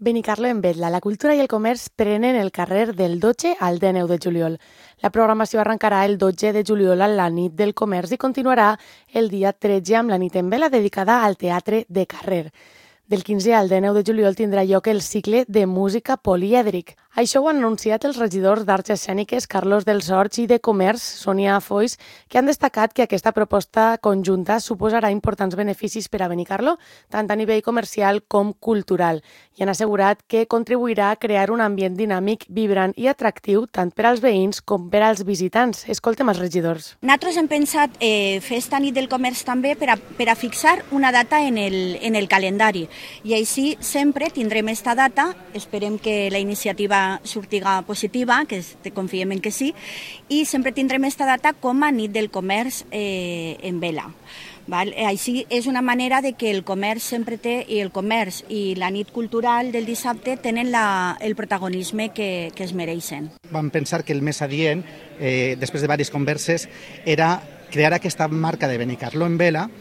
Benicarló en Vetla, la cultura i el comerç prenen el carrer del 12 al 19 de juliol. La programació arrencarà el 12 de juliol a la nit del comerç i continuarà el dia 13 amb la nit en vela dedicada al teatre de carrer. Del 15 al 19 de juliol tindrà lloc el cicle de música polièdric. Això ho han anunciat els regidors d'Arts Escèniques Carlos dels Horts i de Comerç, Sònia Foix, que han destacat que aquesta proposta conjunta suposarà importants beneficis per a Benicarló, tant a nivell comercial com cultural, i han assegurat que contribuirà a crear un ambient dinàmic, vibrant i atractiu tant per als veïns com per als visitants. Escoltem els regidors. Nosaltres hem pensat fer esta nit del comerç també per a fixar una data en el calendari. I així sempre tindrem esta data, esperem que la iniciativa sortiga positiva, que confiem en que sí, i sempre tindrem esta data com a nit del comerç en vela. Així és una manera de que el comerç sempre té, i el comerç i la nit cultural del dissabte tenen el protagonisme que es mereixen. Vam pensar que el més adient, després de diverses converses, era crear aquesta marca de Benicarló en vela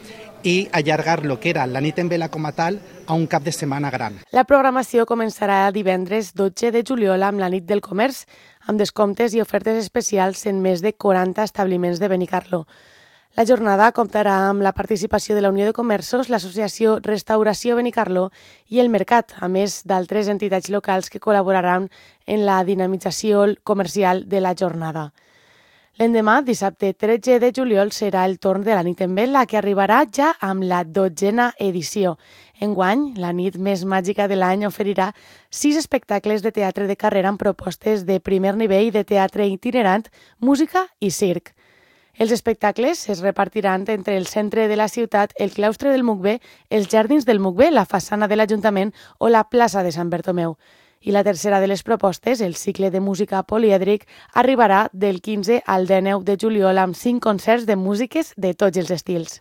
i allargar lo que era la nit en vela com a tal a un cap de setmana gran. La programació començarà divendres 12 de juliol amb la nit del comerç, amb descomptes i ofertes especials en més de 40 establiments de Benicarló. La jornada comptarà amb la participació de la Unió de Comerços, l'Associació Restauració Benicarló i el Mercat, a més d'altres entitats locals que col·laboraran en la dinamització comercial de la jornada. L'endemà, dissabte 13 de juliol, serà el torn de la nit en vela, que arribarà ja amb la 12a edició. Enguany, la nit més màgica de l'any oferirà 6 espectacles de teatre de carrer amb propostes de primer nivell de teatre itinerant, música i circ. Els espectacles es repartiran entre el centre de la ciutat, el claustre del Mucbe, els jardins del Mucbe, la façana de l'Ajuntament o la plaça de Sant Bertomeu. I la tercera de les propostes, el cicle de música polièdric, arribarà del 15 al 19 de juliol amb 5 concerts de músiques de tots els estils.